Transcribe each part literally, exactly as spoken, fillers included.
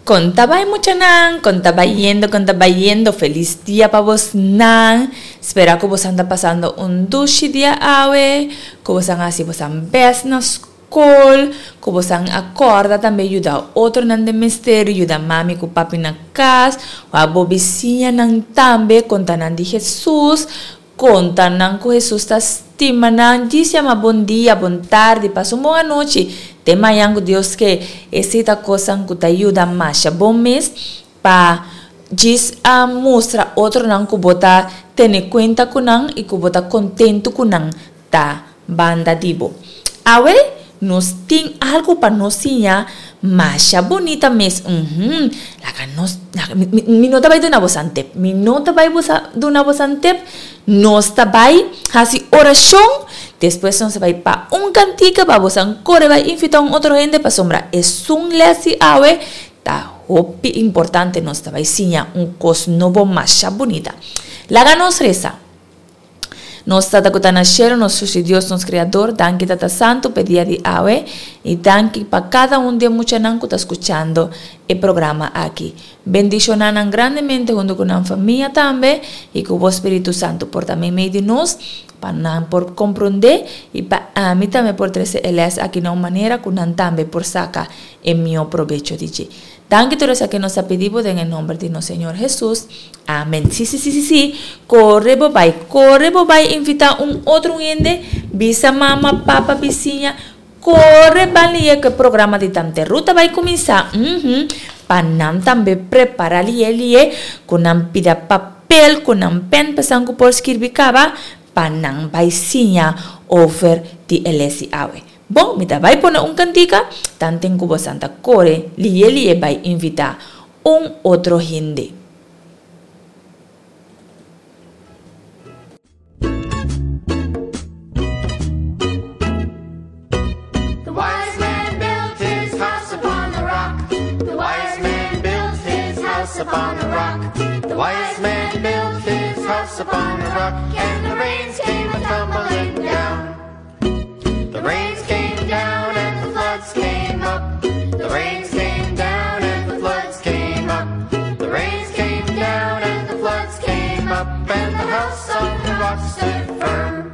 Kon ta bai muchanan, kon ta bayendo, kon ta bayendo, felis dia pa bosnan. Spera ku bosan ta pasando un dushi dia awe, ku bosan a hasi bosan bèst na skol, ku bosan a kòrda tambe yuda otronan den mester, yuda mami ku papi na kas, wak bo bisiñanan tambe, konta nan di Hesus, konta nan ku Hesus ta stima nan. Djis yama bon dia, bon tardi, pasa un bon anochi. Te mañan ku Dios ke. Esei ta kosnan ku ta yuda masha bon mes pa djis a mustra otronan ku bo ta tene kuenta ku nan i ku bo ta kontentu ku nan ta banda di bo. Awe nos tin algu pa nos siña masha bunita mes. Uhum. Laga nos, laga, mi, mi, mi no ta bai duna bosan tep. Mi no ta bai bosa, duna bosan tep. Nos ta bai hasi orashon, despues nos ta bai pa un kantika pa bosan kore bai invita un otro hende pasobra esun les di awe ta hopi importante. Nos ta bai siña un kos nobo masha bunita. Laga nos resa. Nos Tata ku ta na shelu, nos Sushi Dios, nos Kreador, danki Tata Santu p'e dia di awe i danki pa kada un di e muchanan ku ta skuchando e programa aki. Bendishoná nan grandemente huntu ku nan famia tambe i ku bo Spiritu Santu por ta meimei di nos pa nan por komprondé i pa ami tambe por trese e lès aki na un manera ku nan tambe por saka e mihó probecho di dje. Danki tur esaki nos ta pidi bo den e nomber di nos Señor Hesus. Amen. Sí, sí, sí, sí, sí. Kore bo bai, kore bo bai invitá un otro hende, bisa mama, papa, bisiña, Kore ban lié ku e programa di Tante Ruth ta bai kuminsá, uhum, pa nan tambe prepará lié lié ku nan pida papel ku nan pèn pasan ku por skirbi kaba pa nan bai siña over di e lès di awe. Bon, mi ta bai pone un kantika, tanten ku bosan ta kore lié lié bai invitá un otro hende. The wise man built his house upon the rock. The wise man built his house upon the rock. The wise man built his house upon the rock, and the rains came a tumbling down. The rains came down and the floods came up. The rains came down and the floods came up. The rains came down and the floods came up, and the house on the rock stood firm.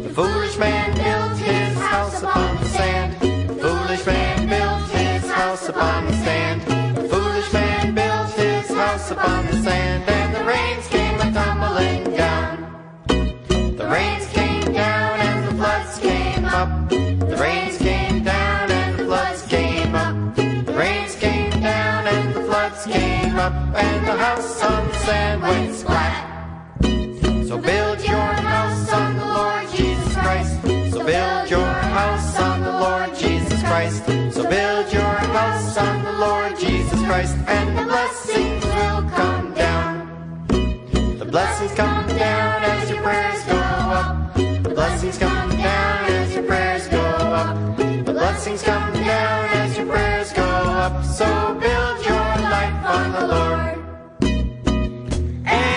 The foolish man built his house upon the sand. The foolish man built his house upon the sand. The foolish man built his house upon the sand, and the rains came a tumbling down. The rains came down and the floods came up. The rains came down and the floods came up. The rains came down and the floods came up, and the house on the sand went splat. So build your house on the Lord Jesus Christ. So build your house on the Lord Jesus Christ. So build your house on the Lord Jesus Christ, and the blessings will come down. The blessings come down as your prayers go up. The blessings come down as your prayers go up. The blessings come down as your prayers go up. So build your life on the Lord. Hey,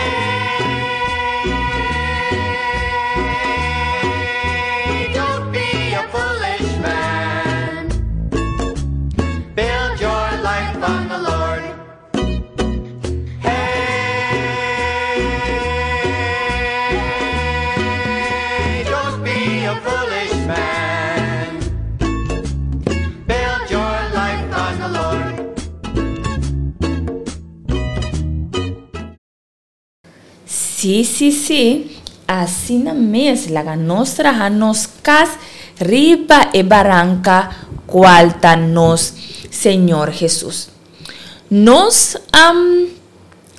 don't be a foolish man. Build your life on the Lord. Hey, don't be a foolish man. Build your life on the Lord. Sí, sí, sí, asina mes laga nos traha nos kas riba e baranka kual ta nos Señor Hesus. Nos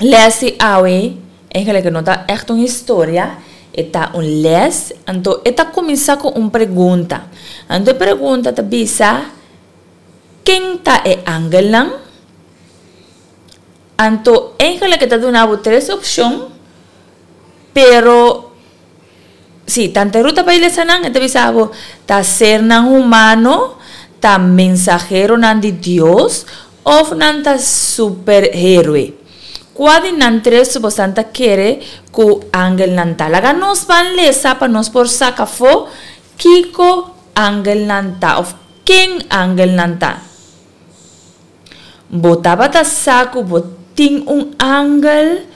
les di awe, eigenlijk e no ta ègt un historia, e ta un les, anto e ta kuminsá ku un pregunta. Anto e pregunta ta bisa, Ken ta e angelnan? Anto eigenlijk e ta duna bo tres opshon, pero si tanta ruta pa lesa nan, e ta bisa bo ta sernan humano, ta mensaheronan di Dios òf nan ta superhéroe. Kua di nan tres bosan ta kere ku angelnan ta? Laga nos ban lesa pa nos por saka afó kiko angelnan ta òf ken angelnan ta. Bo tabata sa ku bo tin un angel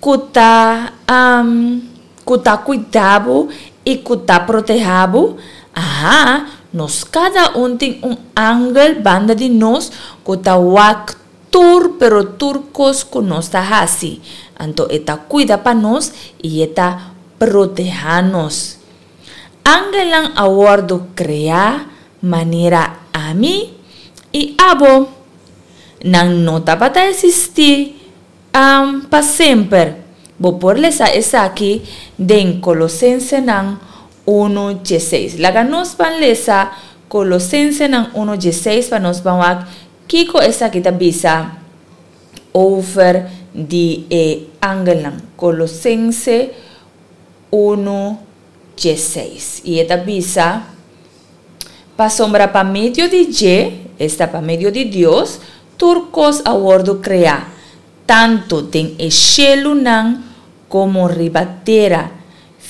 ku ta um, ku ta kuida bo i ku ta protehá bo? Aha, nos kada un tin un angel banda di nos ku ta wak tur pero tur kos ku nos ta hasi. Anto e ta kuida pa nos i e ta protehá nos. Angelnan a wòrdu kreá manera ami i abo. Nan no tabata eksistí um, pa semper. Bo por lesa esaki den Kolosensenan uno diesseis. Laga nos ban lesa Kolosensenan uno diesseis pa nos ban wak kiko esaki ta bisa over di e angelnan. Kolosense uno diesseis. I e ta bisa: Pasobra pa medio di dje, esta pa medio di Dios, tur kos a wòrdu kreá, tantu den e shelunan komo riba tera,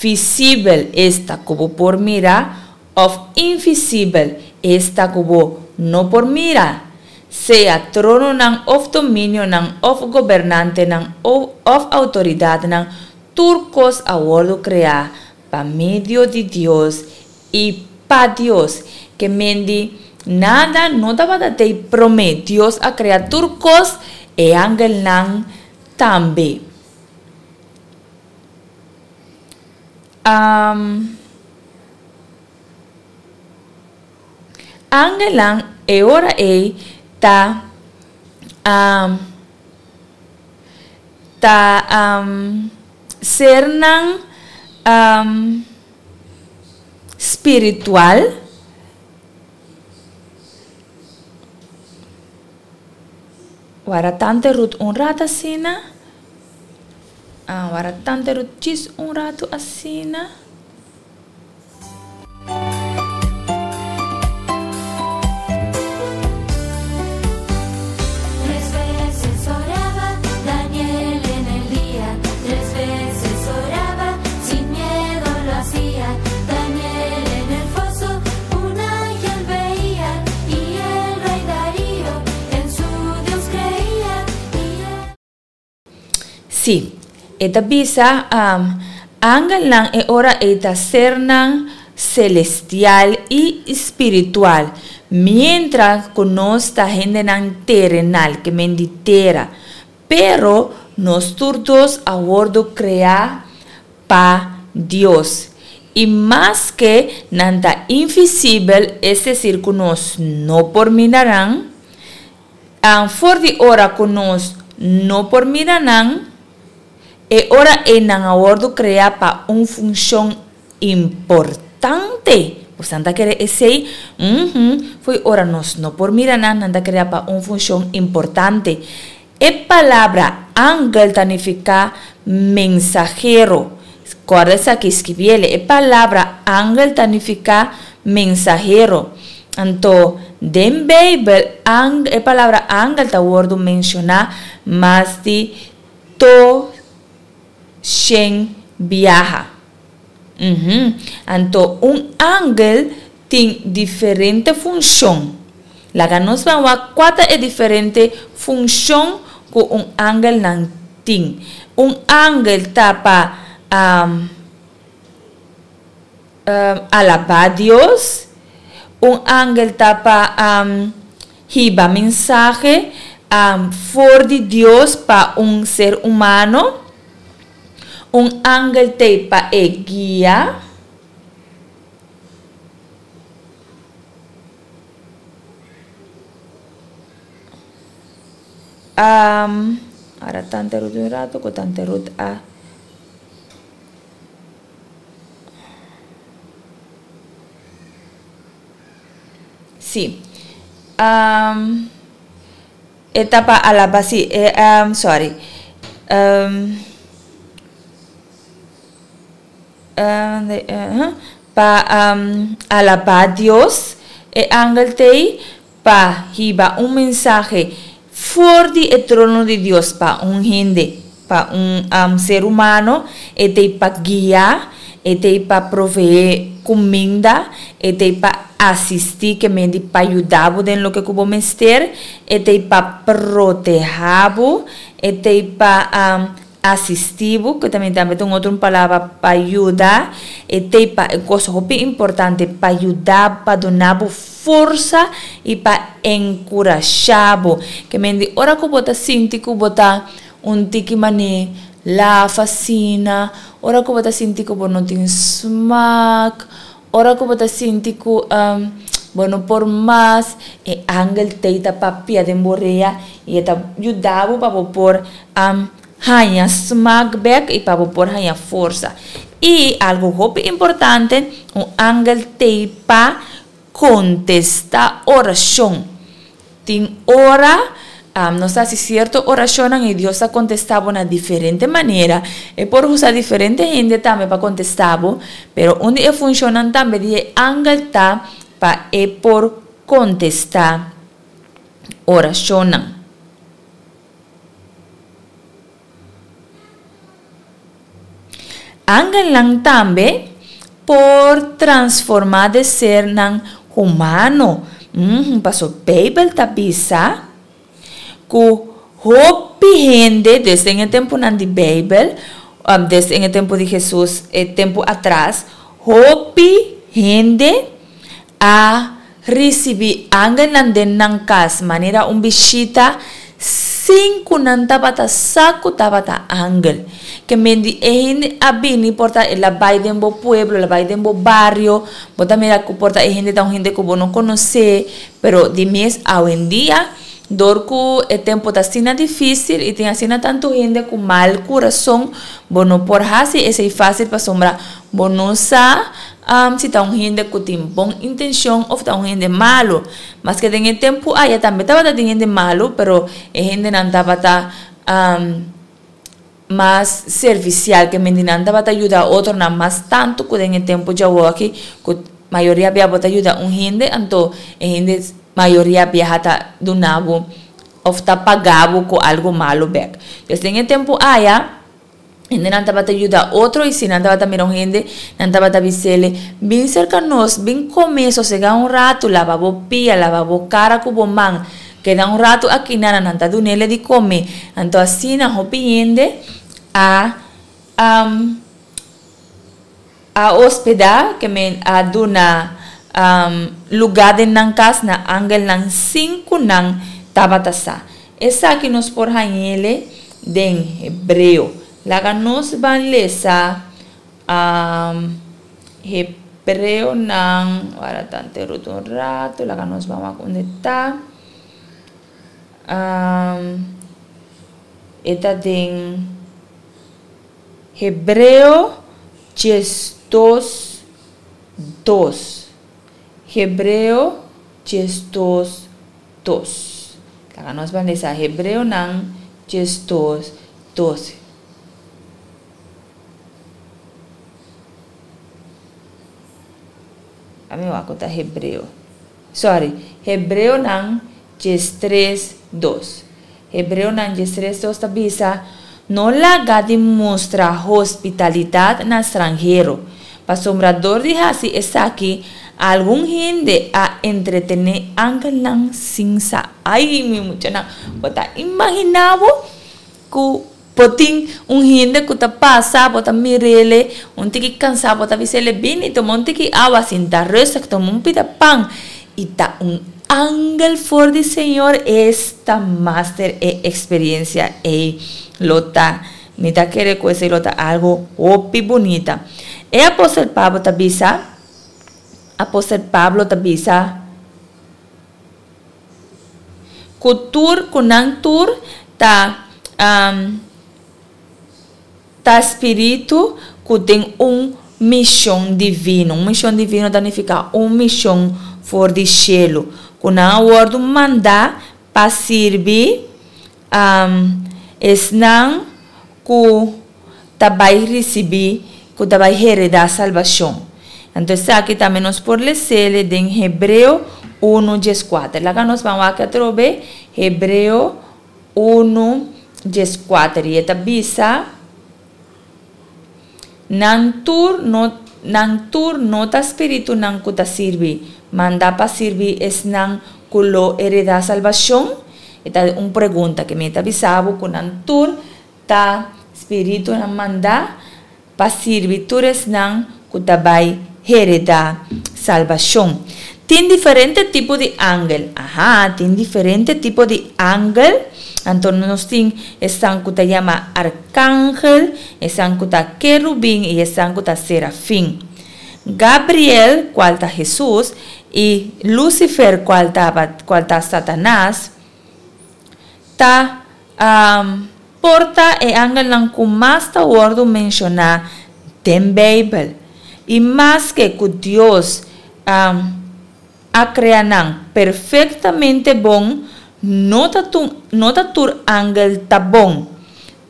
visibel, esta ku bo por mira, òf invisibel, esta ku bo no por mira, sea trononan òf dominionan òf gobernantenan òf outoridatnan, tur kos a wòrdu kreá pa medio di Dios i pa Dios. Ke men di, nada no tabata tei promé. Dios a krea tur kos, e angelnan tambe. Um, angelnan e ora ei ta um, ta um, sernan um, spiritual. Wara tante Ruth un rato asina. Ah, wara tante Ruth djis un rato asina. Tres veces oraba Daniel en el día, tres veces oraba, sin miedo lo hacía. Daniel en el foso un ángel veía y el rey Darío en su Dios creía. Y él Sí, e ta bisa um, angelnan e ora ei ta sernan celestial i spiritual, mientras ku nos ta hendenan terenal, ke men di tera. Pero nos tur dos a wòrdu kreá pa Dios. I maske nan ta invisibel, es desir ku nos no por mira nan, um, for di ora ku nos no por mira nan, e ora ei nan a wòrdu kreá pa un funshon importante. Boso ta kere esei? Uhum. Fo'i ora nos no por mira nan, nan ta kreá pa un funshon importante. E palabra angel ta nifiká mensahero. Kòrda esaki, skibié. E palabra angel ta nifiká mensahero. Anto, den Beibel, ang, e palabra angel ta wòrdu menshoná mas di dos shen biaha. Uhum. Anto, un angel tin diferente funshon. Laga nos ban wak kua ta e diferente funshon ku un angelnan tin. Un angel ta pa um, um, alabá Dios. Un angel ta pa um, hiba mensahe um, for di Dios pa un ser humano. Un angel t'ei pa e guia. Um, ahora tante Ruth un rato, ku tante Ruth a Sí. Um, e ta pa alabá, sí, e, um, sorry. Um, uh, de, uh, pa um, alabá Dios, e angel t'ei pa hiba un mensahe for di e trono di Dios pa un hende, pa un um, ser humano, e t'ei pa guia, e t'ei pa proveé. kuminda, e t'ei pa asistí, ke men di pa yuda bo den loke ku bo mester, e t'ei pa protehá bo, e t'ei pa asistí bo, ku tambe ta un otro palabra pa yuda, e t'ei pa, e kos hopi importante, pa yuda, pa duna bo forsa i pa enkurashá bo. Ke men di ora ku bo ta sinti ku bo ta un tiki manera laf asina, ora ku bo ta sinti ku bo no tin smak, ora ku bo ta sinti ku bo no por mas, e angel t'ei ta papia den bo rea i e ta yuda bo pa bo por haña smak bèk i pa bo por haña forsa. I algu hopi importante, un angel t'ei pa kontestá orashon. Tin ora nos ta hasi sierto orashonnan i Dios ta kontestá bo na diferente manera. E por usa diferente hende tambe pa kontestá bo, pero un di e funshonnan tambe di e angel ta pa e por kontestá orashonnan. Angelnan tambe por transformá den sernan humano. Pasobra Beibel ta bisa ku hopi hende desde e tempunan di Beibel, desde e tempu di Hesus, e tempu atras, hopi hende a risibí angelnan den nan kas manera un bishita sin ku nan tabata sa ku tabata angel. Ke men di e hende a bini por ta el a bai den bo pueblo, el a bai den bo bario, bo ta mira ku por ta e hende ta un hende ku bo no konosé, pero di mes awendia dor ku e tempu ta asina difísil i tin asina tantu hende ku mal kurason, bo no por hasi esei fásil pasobra bo no sa si ta un hende ku tin bon intenshon òf ta un hende malu. Maske den e tempu aya tambe tabata tin hende malu, pero e hendenan tabata mas servisial, ke mende nan tabata yuda otronan mas tantu ku den e tempu djawoki ku mayoria bia bo ta yuda un hende, anto e hende mayoria biaha ta duna bo òf ta paga bo ku algu malu bèk. Pues den e tempu aya, hendenan tabata yuda otro i si nan tabata mira un hende, nan tabata bis'ele, Bin serka nos, bin kome, sosegá un ratu, laba bo pia, laba bo kara ku bo man, keda un ratu aki nan. Nan ta dun'ele di kome. Anto asina hopi hende a A hospedá, ke men a duna lugá den nan kas na angelnan sin ku nan tabata sa. Esaki nos por hañ'ele den Hebreo. Laga nos ban lesa Hebreonan, wara tante Ruth un ratu, laga nos ban wak unda e ta. E ta den Hebreo diesdos dos. Hebreo diesdos dos. Laga nos ban lesa Hebreonan diesdos dos. Ami wak ku ta Hebreo. Sorry, Hebreonan diestres dos. Hebreonan diestres dos ta bisa, No laga di mustra hospitalidat na stranhero, pasobra dor di hasi esaki algun hende a entretené angelnan sin sa. Ai, mi muchanan, bo ta imaginá bo ku bo tin un hende ku ta pasa, bo ta mir'ele un tiki kansá, bo ta bis'ele, Bini, tuma un tiki awa, sinta rustig, tuma un pida pan. I ta un angel for di Señor esta master e experiencia ey lo ta. Mi ta kere cu esey lo ta algo hopi bunita. E apostel Pablo ta bisa, apostel Pablo ta bisa cu tur, cu nan tur ta Ta spiritu ku tin un mishon divino. Un mishon divino ta nifiká un mishon for di shelu, ku nan a wòrdu mandá pa sirbi esnan ku ta bai risibí, ku ta bai heredá salbashon. Anto esaki tambe nos por les'é den Hebreo unu dieskuater. Laga nos ban wak atrobe Hebreo Unu dieskuater i e ta bisa, Nan tur no Nan tur no ta spiritunan ku ta sirbi, mandá pa sirbi esnan ku lo heredá salbashon? E ta un pregunta ke mi ta bisa bo ku nan tur ta spiritunan mandá pa sirbi tur esnan ku ta bai heredá salbashon. Tin diferente tipo di angel. Aha, tin diferente tipo di angel. Anto nos tin esnan ku ta yama arkangel, esnan ku ta kerubin i esnan ku ta serafin. Gabriel, kual ta Hesus, i Lucifer, kual ta, kual ta Satanas, ta um, por ta e angelnan ku mas ta wòrdu menshoná den Beibel. I maske ku Dios um, a krea nan perfektamente bon, no ta, tu, no ta tur angel ta bon.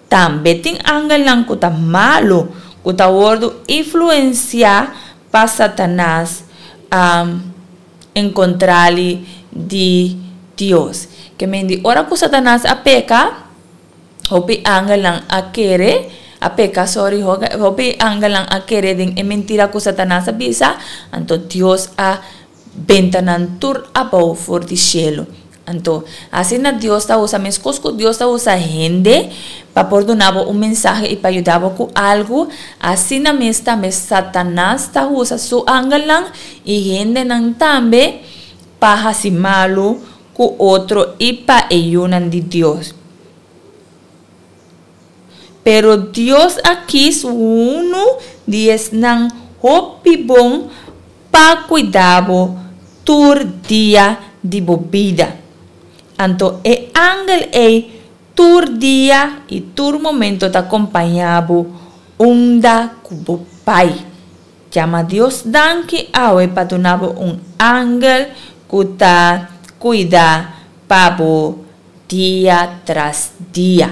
Tambe tin angelnan ku ta malu, ku ta wòrdu influensiá pa Satanas um, en kontrali di Dios. Ke men di ora ku Satanas a peka, hopi angelnan a kere, a peka, sorry, hopi angelnan a kere den e mentira ku Satanas a bisa, anto Dios a benta nan tur abou for di shelu. Anto, asina Dios ta usa, meskos ku Dios ta usa hende pa por duna bo un mensahe i pa yuda bo ku algu, asina mes tambe Satanas ta usa su angelnan i hendenan tambe pa hasi malu ku otro i pa e yunan di Dios. Pero Dios a kis unu di esnan hopi bon pa kuida bo tur dia di bo bida. Anto e angel ei tur dia i tur momento ta kompañá bo unda ku bo bai. Yama Dios danki awe pa duna bo un angel ku ta kuida pa bo dia tras dia.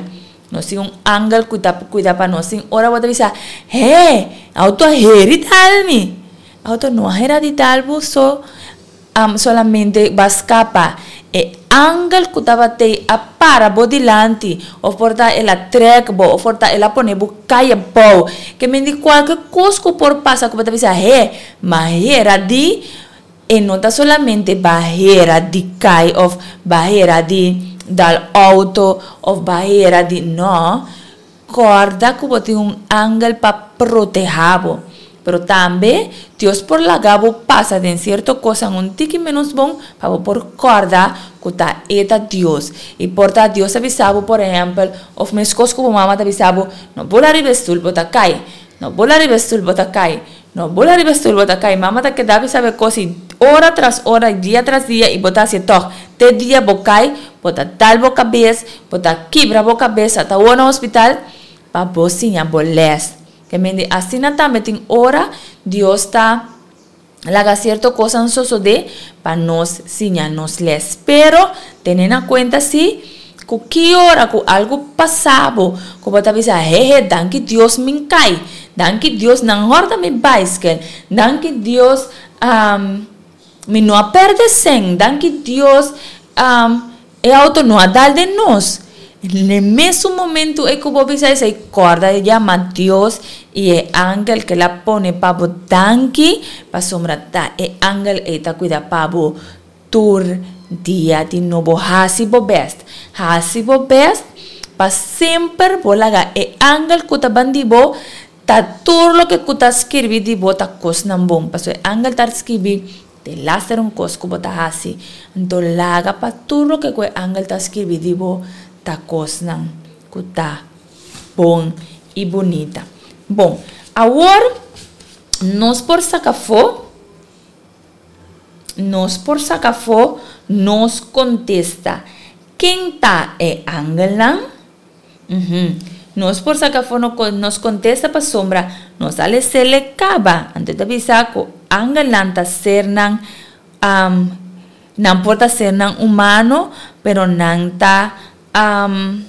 Nos tin un angel ku ta kuida pa nos. Tin ora bo ta bisa, He, auto a heri dal mi. Auto no a hera di dal bo so um, solamente bo a skapa. E angel ku tabat'ei a para bo dilanti, òf por ta el a trèk bo, òf por ta el a pone bo kai abou. Ke men di kualke kos ku por pasa ku bo ta bisa, He, m'a hera di E no ta solamente bahera di kai of bahera di dal auto of bahera di no. Corda cu bo tin un angel pa proteha bo. Pero tambe Dios por laga bo pasa den cierto cosnan un tiki menos bon pa bo por corda cu ta e ta Dios. Y por ta Dios ta bisa bo por ehempel of mescos cu bo mama ta bisa bo no bula riba e stoel bo ta kai. No bula riba e stoel bo ta kai. No bula riba e stoel bo ta kai. Mama ta keda bisa bo e kos i ora tras ora, dia tras dia i bo ta hasi e tòg. Te dia bo kai, bo ta dal bo kabes, bo ta kibra bo kabes, ata awor na hospital pa bo siña bo lès. Ke men di asina tambe tin ora Dios ta laga sierto kosnan sosodé pa nos siña nos lès. Pero tene na kuenta si ku ki ora ku algu pasa bo ku bo ta bisa, Hehe, danki Dios min kai, danki Dios nan hòrta mi baiskel, danki Dios mi no a pèrdè sèn, danki Dios e outo no a dal den nos. N'e mesun momentu ei ku bo bisa esei, kòrda yama Dios i e angel ku el a pone pa bo danki, pasobra ta e angel ei ta kuida pa bo tur dia di nobo. Hasi bo bèst, hasi bo bèst pa semper bo laga e angel ku ta ban di bo ta tur loke ku ta skirbi di bo ta kosnan bon, pasobra e angel ta skirbi Te laster un kos ku bo ta hasi, anto laga pa tur loke ku e angel ta skirbi di bo ta kosnan ku ta bon i bunita. Bon, awor nos por saka afó, nos por saka afó nos kontesta, Ken ta e angelnan? Uhum. Nos por saca afó nos contesta pasobra nos a lesele caba. Anto e ta bisa cu angelnan ta sernan, um, nan por ta sernan humano, pero nan ta, um,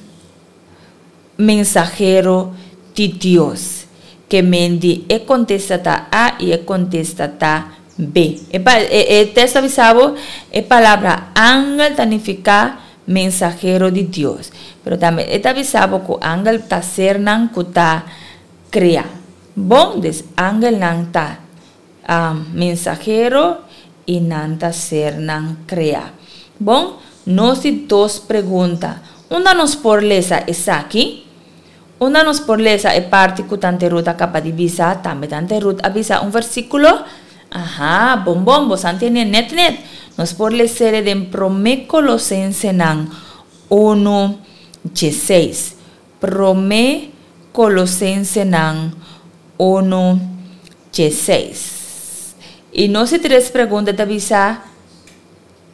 mensahero di Dios. Ke men di e contesta ta A y e contesta ta B. E, pa, e, e tekst ta bisa bo e palabra angel ta nifica mensahero di Dios. Pero tambe e ta bisa bo ku angel ta sernan ku ta krea. Bon, dus angelnan ta um, mensahero i nan ta sernan kreá. Bon, nos di dos pregunta. Unda nos por lesa esaki? Unda nos por lesa e parti ku Tante Ruth a kaba di bisa? Tambe Tante Ruth a bisa un versíkulo. Aha, bon bon, boso a tende net net. Nos por les'é den Promé Kolosensenan uno diesseis. Promé Kolosensenan uno diesseis. I nos di tres pregunta ta bisa,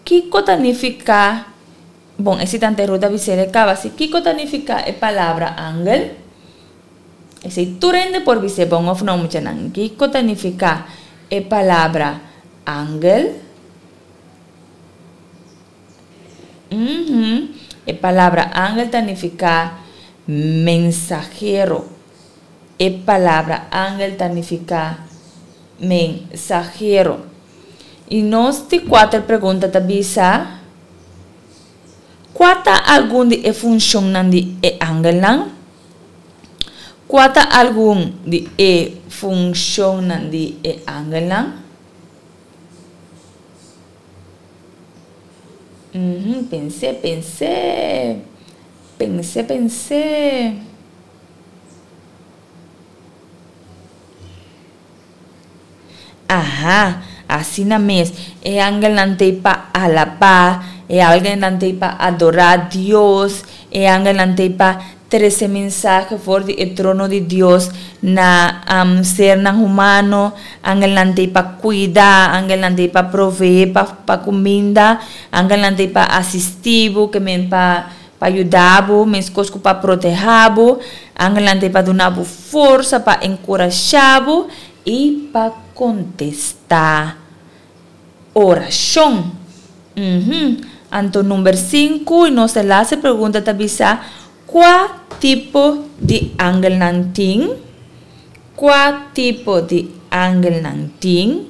kiko ta nifiká, bon, esei Tante Ruth a bis'é kaba, si kiko ta nifiká e palabra angel? Esei tur hende por bis'é bon òf no, muchanan. Kiko ta nifiká e palabra angel? Uhum. E palabra angel ta nifiká mensahero. E palabra angel ta nifiká mensahero. I nos di kuater pregunta ta bisa, kua ta algun di e funshonnan di e angelnan? Kua ta algun di e funshonnan di e angelnan? Uhum, pens'é, pens'é. Pens'é, pens'é. Aha, asina mes. E angelnan t'ei pa alabá, e angelnan t'ei pa adorá Dios, e angelnan t'ei pa trese mensahe for di e trono di Dios na um, sernan humano, angelnan t'ei pa kuida, angelnan t'ei pa proveé pa, pa kuminda, angelnan t'ei pa asistí bo, ke men pa pa yuda bo, meskos ku pa protehá bo, angelnan t'ei pa duna bo forsa, pa enkurashá bo i pa kontestá orashon. Uhum. Anto number sinku, i nos e laatste pregunta ta bisa, kua tipo di angelnan tin? Kua tipo di angelnan tin?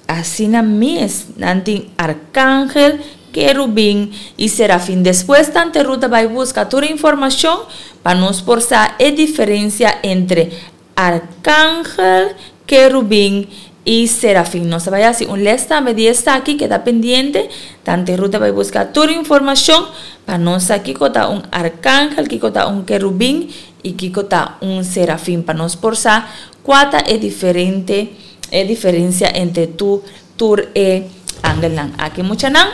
Asina mes, nan tin arkangel, kerubin i serafin. Despues Tante Ruth a bai buska tur informashon pa nos por sa e diferensia entre arkangel, kerubin i serafin. Nos ta bai hasi un les tambe di esaki, keda pendiente. Tante Ruth a bai buska tur informashon pa nos sa kiko ta un arkangel, kiko ta un kerubin i kiko ta un serafin, pa nos por sa kua ta e diferente e diferensia entre tu tur e angelnan aki. Muchanan,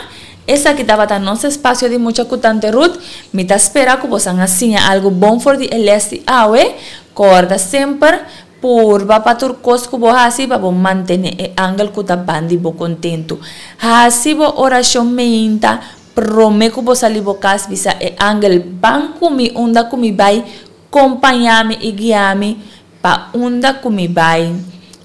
esaki tabata nos espasio di Mucha ku Tante Ruth. Mi ta spera ku bosan a siña algu bon for di e les di awe. Kòrda semper, purba pa tur kos ku bo hasi pa bo mantené e angel ku ta ban di bo kontentu. Hasi bo orashon meinta promé ku bo sali bo kas, bisa e angel, Ban ku mi unda ku mi bai, kompañá mi i guia mi pa unda ku mi bai,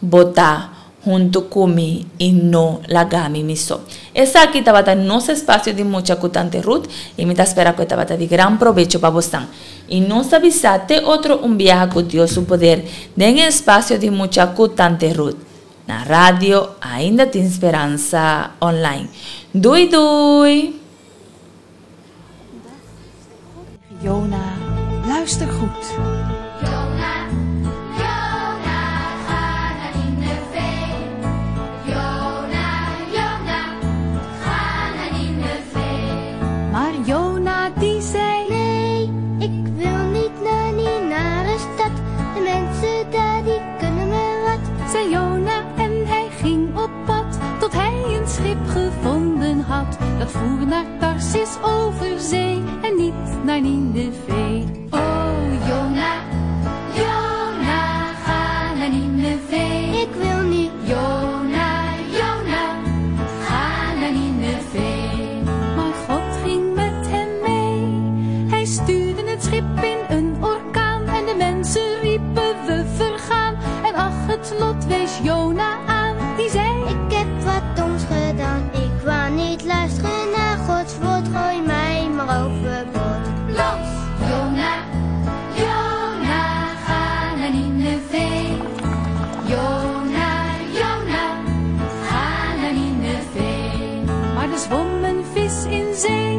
bo ta huntu ku mi i no laga mi mi so. Esaki tabata nos espasio di Mucha ku Tante Ruth i mi ta spera ku e tabata di gran probecho pa bosnan. I nos ta bisa te otro un biaha ku Dios su poder den e espasio di Mucha ku Tante Ruth na Radio Ainda Tin Speransa Online. Dui dui! Jona, luister goed. Jona, Jona, ga naar Nineve. Jona, Jona, ga naar Nineve. Maar Jona die zei, Nee, ik wil niet naar die nare stad. De mensen daar die kunnen me wat. Zei Jona en hij ging op pad, tot hij een schip gevonden had. Dat voer naar Tarsis over zee en niet naar Nineve. Oh Jona, Jona, ga naar Nineve. Ik wil niet. Jona, Jona, ga naar Nineve. Maar God ging met hem mee. Hij stuurde het schip in een orkaan en de mensen riepen we vergaan. En ach, het lot wees Jona aan, die zei, Ik heb wat doms gedaan. Ik wou niet luisteren naar Gods woord. Gooi mij maar overboord. Los! Jona, Jona, ga naar Nineve. Jona, Jona, ga naar Nineve. Maar er zwom een vis in zee,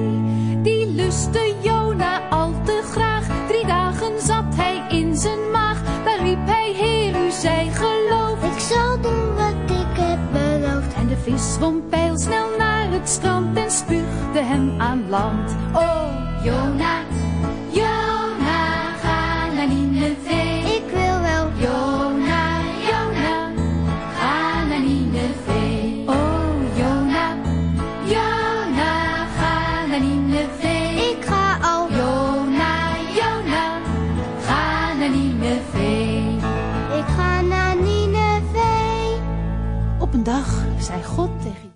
die lustte Jona al te graag. Drie dagen zat hij in zijn maag. strand en spuugde hem aan land. Oh, Jona, Jona, ga naar Nineveh. Ik wil wel. Jona, Jona, ga naar Nineveh. Oh, Jona, Jona, ga naar Nineveh. Ik ga al. Jona, Jona, ga naar Nineveh. Ik ga naar Nineveh. Op een dag zei God tegen